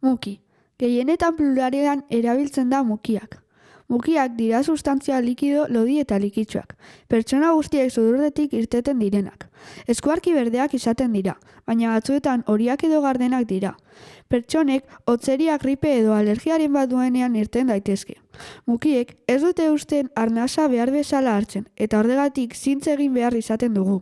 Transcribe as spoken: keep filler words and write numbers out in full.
Muki. Gehienetan pluralean erabiltzen da mukiak. Mukiak dira sustantzia likido, lodi eta likitsuak. Pertsona guztiek sudurretik irteten direnak. Eskuarki berdeak izaten dira, baina batzuetan horiak edo gardenak dira. Pertsonek hotzeria, gripe edo alergiaren bat duenean irten daitezke. Mukiek ez dute uzten arnasa behar bezala hartzen, eta horregatik zintz egin behar izaten dugu.